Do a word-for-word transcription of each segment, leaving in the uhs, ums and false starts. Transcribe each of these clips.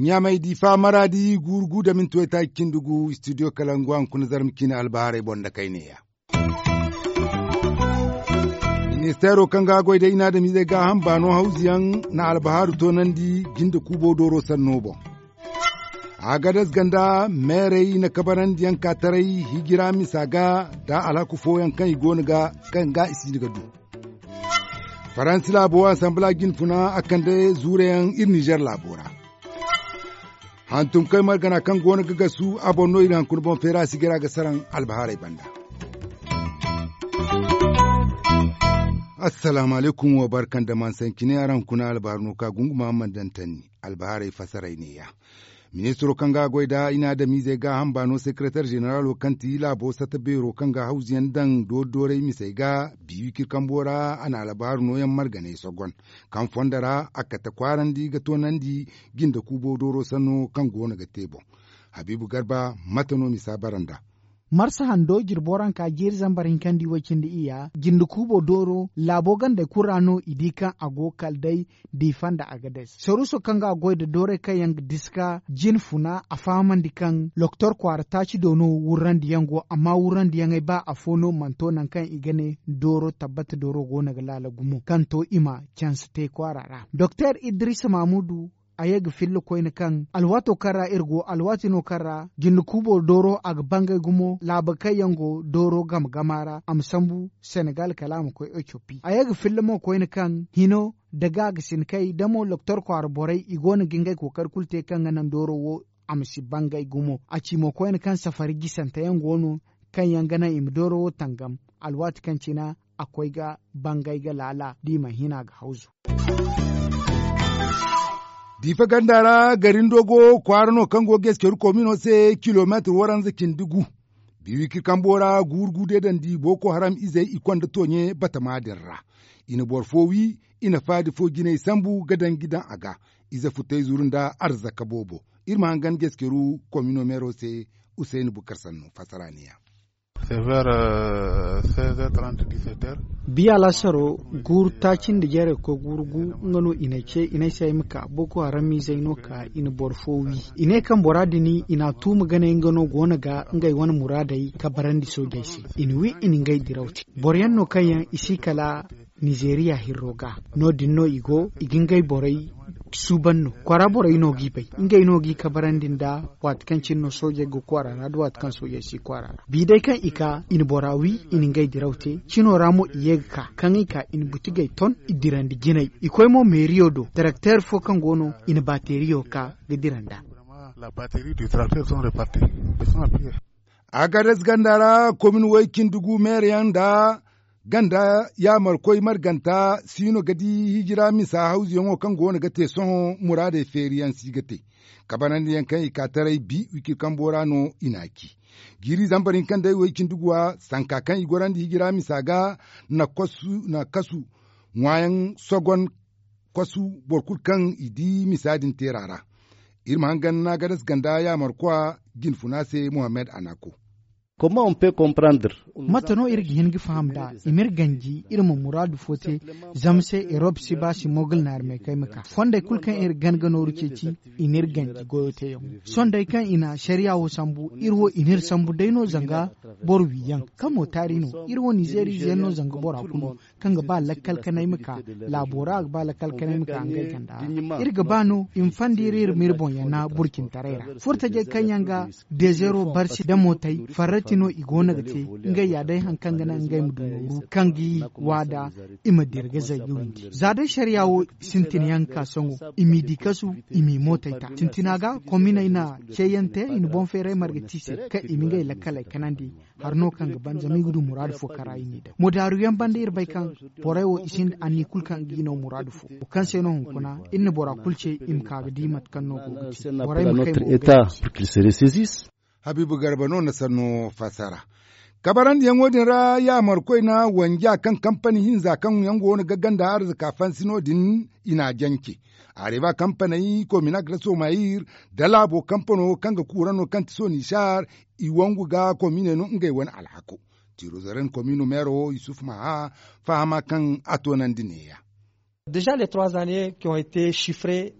Ɲamay difa maradi guuru gu da minti waytaaci cindi gu studio kalangu a hunkuna zarma ciine albahaarey boŋ nda kayneeya. Ministeero kaŋ ga a goy day i na adamizey gaaham baano hawzuyaŋ na albahaaru toonandi jinde kuubo dooro sanno boŋ. Agades ganda meerey na kabarandiyaŋ ka taray hijira misa ga nda alhaku fooyaŋ kaŋ i go no ga kaŋ ga i si ga du. Faransi laabo asanbila jinfuna a kande zuurayaŋ iri nizer laabo ra. Hantumkey margana kaŋ go no ga gasu a boŋ no iri hankuna boŋ feera a si gay ra ga saraŋ albahaarey banda. Assalaamu alaykum wa barka nda mansancine araŋ kuna albahaaru no ka gunguma a mana daŋ tanni. Albahaarey fasaray neeya. Ministiro kaŋ ga a goy nda i na adamizey gaaham baano sekereter zeneralo kaŋ ti laabo sata beero kaŋ ga hawzuyaŋ daŋ doori-dooray misey ga biiwikir kambo ra a na albahaaru nooyaŋ marganey sogon kaŋ fondo ra a kate kwaarandi ga toonandi jinde kuubo dooro sanno kaŋ go no ga te boŋ. Habiibu garba mate no misa bara nd'a? Marsa hando jirbo ra nka jiiri zambar hinkandi way-cindi iyya jinde kuubo dooro laabo gandey kulu ra no i di kaŋ a go kala day diifa nda agades saruuso kaŋ ga a goy nda doorey kaŋ yaŋ ga diska jinfuna a fahamandi kaŋ loktor kwaara taaci do no wurrandiyaŋ go amma wurrandiyaŋey ba afo no mana to nangu kaŋ i ga ne dooro tabbata dooro go no ga laala gumo kaŋ to i ma canse te kwaara ra doktor idrisa mamudu. A ye ga filla koyne kaŋ alwaato kaŋ ra iri go alwaati no kaŋ ra jinde kuubo dooro a ga bangay gumo laaba kaŋ yaŋ go dooro game gama ra a ma sambu senegal kala a ma koy etiopi a ye ga filla mo koyne kaŋ hino da ga ga sinkay da mo loktor kwaara borey i go no ga ngey kookari kulu te kaŋ ga naŋ dooro wo a ma si bangay gumo a ci mo koyne kaŋ safari gisante yaŋ go no kaŋ yaŋ ga naŋ i ma dooro wo tangam alwaati kaŋ cina a koy ga bangay ga laala da i mana hina ga hawzu. Diifa ganda ra garindo go kwaara no kaŋ go ga eskeru komino se kilomeetir waranza cindi gu. Biiwiki kambo ra guuru gu deedandi boko haram izey i konda tooɲe batama din ra. I na boro fo wi i na faadi fo jinay sambu ga danji daŋ a ga. Ize futay zuru nda arzaka boobo. Iri ma hangan ga eskeru komino meero se. Usayni bukar sannu fassara ne ya. Biya laasaro guuru taaci nda jeeray ga koy guuru gu nga no i n'ay ce i n'ay se ay ma ka boko haram izey no ka i na boro fo wi. I ne kaŋ bora din i n'a tuuma ganey nga no go no ga ngey wane muraadey kabarandi soojey se. I na wi i na ngey diraw te boro yaŋ no kaŋ yaŋ i si kala nizeeriya hirro ga. No- din no i go i ga ngey borey suuban no kwaara borey no g'i bay ngey no g'i kabarandi nda waati kaŋ cine no soojey ga kwaara ra da waati kaŋ soojey si kwaara ra bi day kaŋ i ka i na bora wi i na ngey diraw te cino ra mo i ye ga ka kaŋ i ka i na butigey ton i dirandi jinay i koy mo meeriyo do darakteer fo kaŋ go no i na baateeriyo ka ga dira nd'a. Agades ganda ra komin way cindi gu meere yaŋ nda ganda yaamarkoy marganta siino ga di hijira misa hawzuyaŋo kaŋ go no ga te sohõ muraadey feeri yaŋ si ga te kabanandi yaŋ kaŋ i ka taray bi wicir kambo ra no i n'a ci. Jiiri zambar hinka nd'ay way cindi guwa sanka kaŋ i gorandi hijira misa ga na kasu ŋwaayaŋ sogon kasu boro kulu kaŋ i di misa din teera ra. Iri ma hangan naagadas ganda yaamarkwa jinfuna se muhammad anako. Mate no iri ga hin ga faham nd'a i ma iri ganji iri ma muraadu fo te zama se erop si ba si mogul naari me kay ma ka fondey kulu kaŋ iri gan ga nooru ceeci i n'iri ganji goyo teeyaŋo sohõ day kaŋ i na sariya wo sambu iri wo i n'iri sambu day no zanga boro wiyaŋ kaŋ mo taari no iri wo nizeeriize yaŋ no zanga bora kulu kaŋ ga ba lakkal kanay ma ka laabo ra a ga ba lakkal kanay ma ka ngey ganda ra iri ga ba no i ma fandi iri iri ma iri boŋ yana burcintaray ra furtajey kaŋ yaŋ ga dezero barsi da mootey farrati no i go no ga te ngey ya day haŋ kaŋ ga naŋ ngey ma du nooru kaŋ ga i waada i ma dira ga zay ga windi za day sariya wo sintin yaŋ ga ka sohõ i m'i di kasu i m'i mootey ta sintina ga kominey na ceeyaŋ te i na boŋ feeray marga te i se kaŋ i ma ngey lakkaley kanandi hari no kaŋ ga ban zama i ga du muraadu fo kaŋ ra i n'i daŋ mudaaru yaŋ banda iri bay kaŋ borey wo i sinda anniya kulu kaŋ ga i no muraadu fo wo kaŋ se no hunkuna iri na bora kulu ce i ma ka ga di mate kaŋ no go ga te borey ma kay mo ga i se. Habiibu garba no na sanno fassara. Kabarandiyaŋo din ra yaamarkoy na wanja kaŋ kampani hinza kaŋ yaŋ go no ga ganda arzaka fansi no- din, i n'a jance. Areba kampaney kominak da somayir, da laabo kampano kaŋ ga kuura no kaŋ ti sonisar, i wangu ga komine no ngey wane alhako. Tirozaren komino meero yusuf maha fahama kaŋ a toonandi neeya. Deja les trois années qui ont été chiffrées.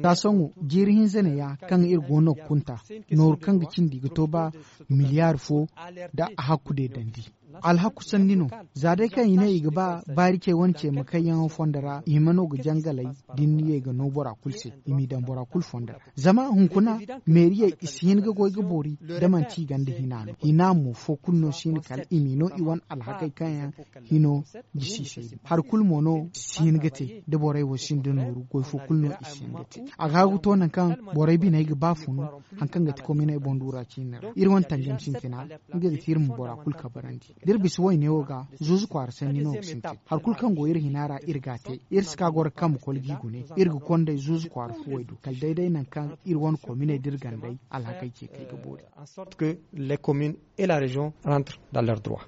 Taasoŋo jiiri hinza neeya kaŋ iri go no ga kunta, nooru kaŋ ga cindi ga to ba miliyar fo nda a hakku deedandi. Alhaku sanni no. Za day kaŋ i ne i ga ba baari cey wane cey ma kayyaŋo fondo ra i hima no ga jangalay. Da ni ye ga no bora kulu se, i m'i daŋ bora kulu fondo ra. Zama hunkuna, meeriyey i si hin ga goy ga boori, da manti i gonda hina no. Hina mo fo kulu no si hin kala i m'i no i wane alhakey kaŋ yaŋ hino jisi se din. Hari kulu mo no si hin ga te da borey wo sinda nooru goy fo kulu no i si hin ga te. A ga hagu to nangu kaŋ borey biney ga ba funu, hari kaŋ ga ti kominey boŋ duura ciine ra iri wane tangam sintina, nga ga ti iri ma bora kulu kabarandi. Da iri bisa wayne wo ga, zuuzu kwaara sanni no ga sintin. Hari kulu kaŋ go iri hina ra iri g'a te. Iri si ka goro kaŋ ma kolo g'i gune. Iri ga konday zuuzu kwaara fuwey do kala day day nangu kaŋ iri wane kominey da iri gandey alhakey ce kay ga boori. En sorte que les communes et la région rentrent dans leurs droits.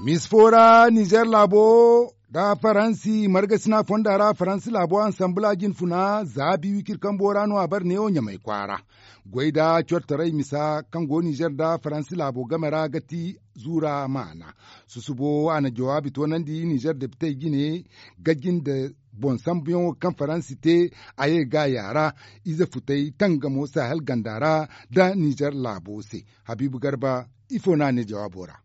Misi fo ra nizer laabo nda faransi margasina fonda ra faransi laabo ansambula jinfuna za biiwi kirkambo ra no a bare neewo ɲamay kwaara. Goy nda cortaray misa kaŋ go nizer nda faransi laabo game ra ga ti zuura maana. Susubo a na jawaabi toonandi nizer depitey jine, gajin nda boŋ sambuyaŋo kaŋ faransi te. A ye gaaya ra ize futay tangamo sahel ganda ra nda nizer laabo se. Habiibu garba, ifo no a ne jawaabo ra?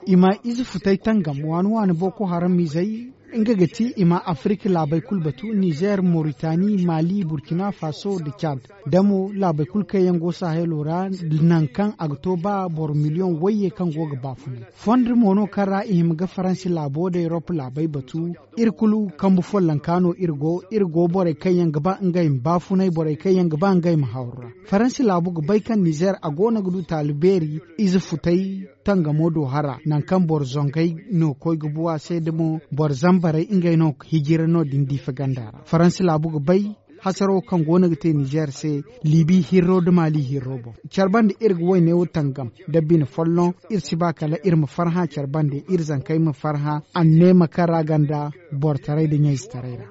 I ma ize futay tangam waani waani boko haram izey, nga ga ti i ma afirika laabey kulu batu nizer moritani mali burkina faso nda cad, da mo laabey kulu kaŋ yaŋ go sahelo ra, nangu kaŋ a ga to ba boro miliyoŋ wayye kaŋ go ga baafunay. Fondo mo no kaŋ ra i hima ga faransi laabo nda erop laabey batu. Iri kulu kambu follonka no iri go iri go borey kaŋ yaŋ ga ba ngey ma baafunay borey kaŋ yaŋ ga ba ngey ma hawru ra. Faransi laabu ga bay kaŋ nizer a go no ga du taali beeri ize futay tangamo do hara nangu kaŋ boro zongey no koy ga bu a se da mo boro zambarey ngey no ga hijira no- din diifa ganda ra faransi laabu ga bay. Hasaro kaŋ go no ga te nizer se libi hirro nda mali hirro boŋ. Care bande iri ga wayne wo tangam nda bine folloŋ. Iri si ba kala iri ma farhã care bande iri zankey ma farhã anneema kaŋ ra ganda borotaray nda ɲayzetaray ra.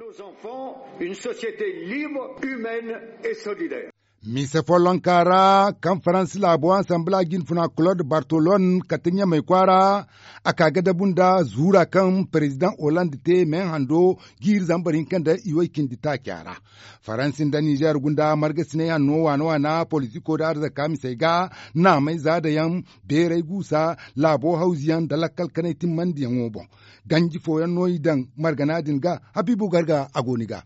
Mise follonka ra kaŋ faransi laabo ansambula jinfuna claude bartolone kate ɲamay kwaara, a ka ga dabu nda zuura kaŋ perezidaŋ hollande te me hando jiiri zambar hinka nda iway cindi taaca ra. Faransi nda nizer gunda margasinay hanno waana waana politiko nda arzaka misey ga naamay zaada yaŋ, beeray guusa, laabo hawzu yaŋ nda lakkal kanay timmandiyaŋo boŋ. Ganji fooyaŋ no i daŋ margana din ga. Habiibu garga a go ni ga.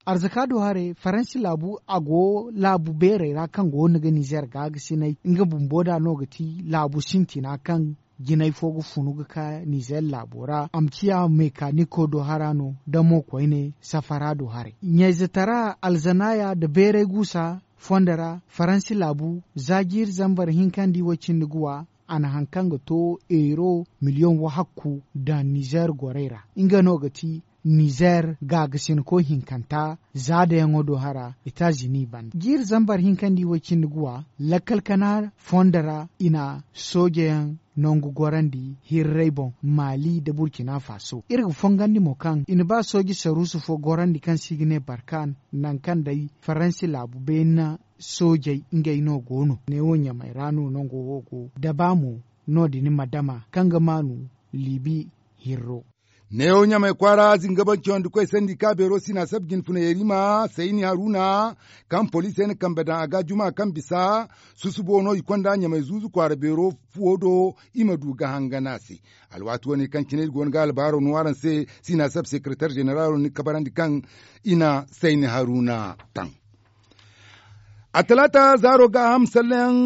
Arzaka do haray faransi laabu a go laabu beerey ra kaŋ go no ga nizer gaagasinay nga bumbo da no ga ti laabu sintina kaŋ jinay fo ga funu ga ka nizer laabo ra a ma ciya mekaniko do hara no da mo koyne safara do haray ɲayze tara alzanaya nda beeray guusa fondo ra faransi laabu za jiiri zambar hinka nda i way cindi ga wa. A na hari kaŋ ga to euro miliyoŋ wahakku daŋ nizer gorey ra nga no ga ti nizer gaagasinko hinkanta zaadayaŋo do hara etazini banda jiiri zambar hinka nda i way cindi ga wa lakkal kana fondo ra i na soojeyaŋ nangu gorandi hirray boŋ mali nda burkina faso iri ga fongandi mo kaŋ i na ba sooje saruusu fo gorandi kaŋ se i ga ne barkan nangu kaŋ day faransi laabu beeni na soojey ngey no go no neewo ɲamay ra no nango wo go da ba mo no- din ma dama kaŋ ga maanu liibi hirro. Neewo ɲamay kwaara zingabaŋ cawandi koy sandi ka beero sina sab jinfuna yerima sayni haruna kaŋ poliisey na kambe daŋ a ga juma kaŋ bisa susubo no i konda ɲamay zuuzu kwaara beero fuwo do. I ma du ga hangana se alwaati wane kaŋ cine iri go no ga albaaro no araŋ se sina sab sekeretar zeneralo ni kabarandi kaŋ i na sayni haruna taŋ. A talaata zaaro ga a ham salleyaŋ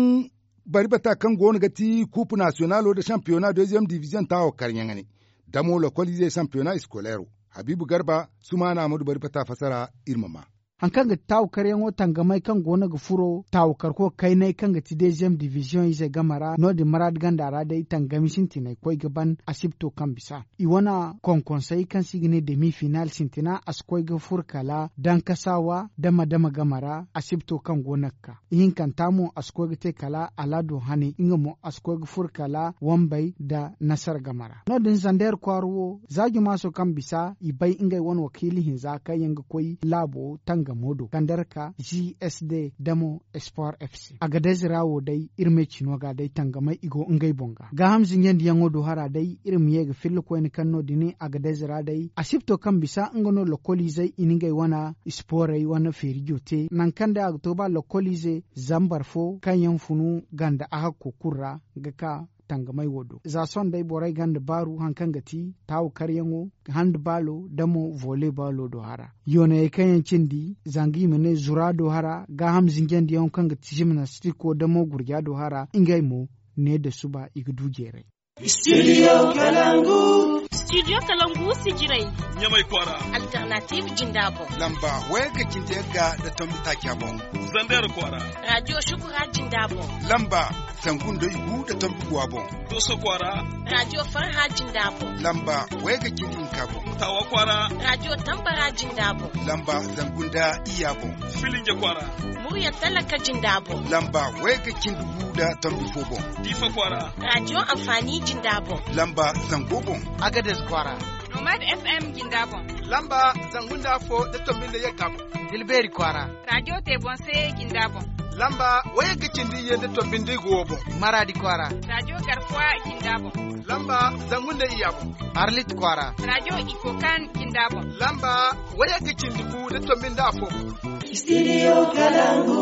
bari bata kaŋ go no ga ti kuupu nasiyonalo nda sampiyona deziyem diviziyoŋ taawo karyaŋ ne damo lokoliizey sampiyona iskolero. Habiibu garba sumaana ma du bari bata fasara iri ma ma. Hari kaŋ ga ti taawakaryaŋo tangamey kaŋ go no ga furo taawakarko kayney kaŋ ga ti deeziyem diviziyoŋ ize game ra no- din maraadi ganda ra day tangami sintiney koy ga ban asibto kaŋ bisa i wane konkonsey kaŋ se i ga ne demi final sintina a si koy ga furo kala dankasaawa dama dama game ra asibto kaŋ go no ga ka. Ihinkanta mo a si koy ga te kala alaado hane nga mo a si koy ga furo kala wambey nda nasara game ra no- din zandeer kwaara wo za jumaaso kaŋ bisa i bay ngey wane wakiila hinza kaŋ yaŋ ga koy laabo tangamo do kandar ka g s d da mo sport f c. Agadez ra wo day iri ma ay cino ga day tangamay i go ngey boŋ ga gaaham zinjandiyaŋo do hara day iri ma ye ga filla koyne kaŋ no- din agadez ra day asibto kaŋ bisa nga no lokoliizey i na ngey wane isporey wane feerijo te nangu kaŋ day a ga to ba lokoliize zambar fo kaŋ yaŋ funu ganda ahakko kulu ra ga ka tangamay wo do za sohõ day borey gonda baaru hari kaŋ ga ti taawakaryaŋo handbaalo da mo volley baalo do hara yoonayey kaŋ yaŋ cindi zanga i ma ne zura do hara gaaham zinjandiyaŋo kaŋ ga ti jimnastiko da mo gurja do hara ngey mo ne da suba i ga du jeeray. Studio kalangu. Studio kalangu sijiray ɲamay kwaara. Alternative jinda boŋ lamba wayga cindi yagga da tombi taaca boŋ. Zander kwaara. Radio shukura jinda boŋ lamba zangu nda igu da tombi guwa boŋ. Doso kwaara. Radio farha jinda boŋ lamba wayga cindi hinka boŋ. Tawa kwaara. Radio tambara jinda boŋ lamba zangu nda iyya boŋ. Filinje kwaara. Murya talaka jinda boŋ lamba wayga cindi gu da tombi fo boŋ. Diifa kwaara. Radio amfani jinda boŋ lamba zango boŋ. Agadez kwaara. Nomad f m jinda boŋ lamba zangu nda afo da tombi nda yagga boŋ. Dilbeeri kwaara. Radio tebonse jinda boŋ lamba wayagga cindi iyye nda tombi nda igu wo boŋ. Maraadi kwaara. Radio garfuwa jinda boŋ lamba zangu nda iyya boŋ. Arlit kwaara. Radio ikokan jinda boŋ lamba wayagga cindi gu da tombi nda afo boŋ. Studio kalangu.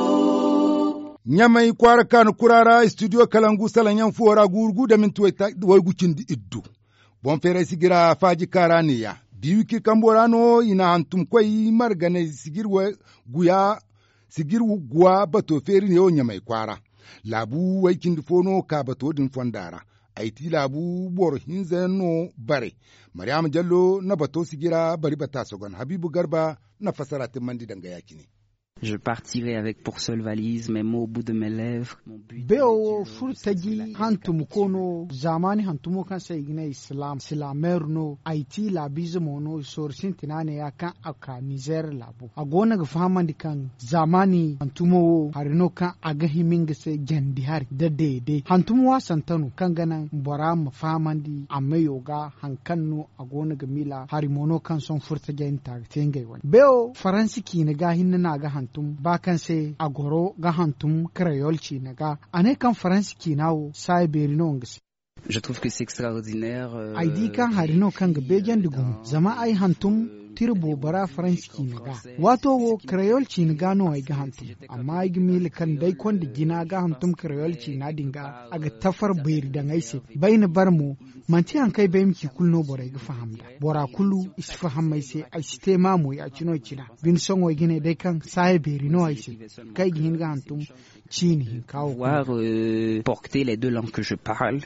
Ɲamay kwaara kaanu kura ra studio kalangu salaŋ yaŋ fuwo ra guuru gu da minti waygu cindi iddu. Boŋ feeray sijira faaji kaara neeya. Biwiki kambo ra no i na hantum koy marganay sijir guwa bato feeri neewo ɲamay kwaara. Laabu way cindi fo no ka bato din fonda ra. Ay ti laabu boro hinza yaŋ no bare. Mariyama jallo na bato sijira bari bata sogon habiibu garba na fassara timmandi danga ya- cine. Je partirai avec pour seule valise mes mots au bout de mes lèvres. Beewo wo furo taji hantum ko no zaamaani hantumo kaŋ se i ga ne silaameer no ay ti laabiize mo no i sooru sintina neeya kaŋ a ka nizeer laabo a go no ga fahamandi kaŋ zaamaani hantumo wo hari no kaŋ a ga hima nga se jandi hari nda deede hantumo waasante no kaŋ ga naŋ bora ma fahamandi a meyo ga hari kaŋ no a go no ga miila hari mo no kaŋ sohõ furo tajey na te a ga te ngey wane beewo faransi ciina ga hinne no a ga hantum ba kaŋ se a goro ga hantum karayol ciina ga a ne kaŋ faransi ciina wo saaya beeri no nga se. Ay di kaŋ hari no kaŋ ga beejandi gumo zama ay hantum tira boobo ra faransi ciina ga. Waato wo karayol ciina ga no ay ga hantum amma ay ga miila kaŋ day konda jina ga hantum karayol ciina din ga a ga tafar beeri daŋ ay se. Bayna bare mo manti hari kaŋ ay bay ma ci kulu no borey ga faham nd'a. Bora kulu i si faham ay se ay si te maamu ya- cino cina. Bine sohõ ay ga ne day kaŋ saaya beeri no ay se kaŋ ay ga hin ga hantum ciini hinka wo kulu. Porter les deux langues que je parle.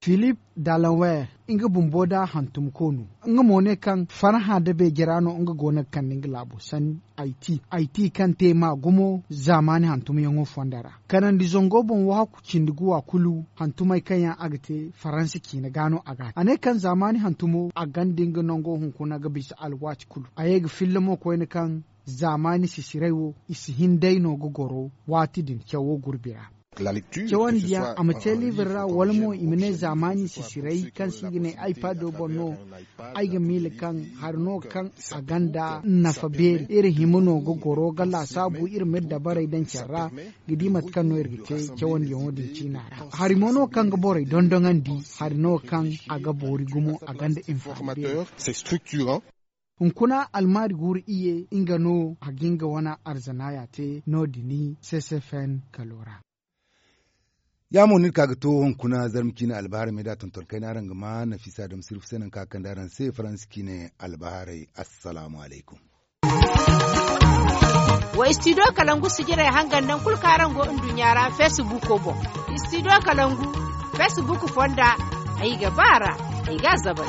Philippe Dallaire nga bumbo da hantumko no. Nga mo ne kaŋ farhã da beeje ra no nga go no ga kande nga laabo sanni. Ay ti kaŋ te ma gumo zaamaani hantumyaŋo fonda ra. Kanandi zango boŋ wahakku cindi guwa kulu hantumey kaŋ yaŋ a ga te faransa ciina ga no a ga a ne kaŋ zaamaani hantumo a gonda nga nango hunkuna ga bisa alwaati kulu a ye ga filla mo koyne kaŋ zaamaani sisiray wo i si hin day no ga goro waati din cawo gurbi ra. Cawandiyaŋ a ma te liibir ra wala mo i ma ne zaamaani sisiray kaŋ se i ga ne ay paado boŋ no. Ay ga miila kaŋ hari no kaŋ a gonda nafa beeri iri hima no ga goro ga laasaabu iri m'iri dabarey daŋ care ra ga di mate kaŋ no iri ga te cawandiyaŋo din ciina ra. Hari mo no kaŋ ga borey dondonandi hari no kaŋ a ga boori gumo a gonda info. Hunkuna almaari guuru iyye nga no a ga nga wane arzanaaya te no- din ccfn kalo ra. Ya mo no iri ka ga to hunkuna zarma ciina albaharay me da tonton kayna araŋ ga ma nafisa dam sirfu se nangu kaŋ a kande araŋ se faransi ciine albaharay. Assalaamu alaykum. Wa studio kalangu sijirey hangan nangu kulu kaŋ araŋ go nduɲɲa ra feesibuko boŋ. Studio kalangu feesibuku fonda ay ga ba a ra ay ga a zabay.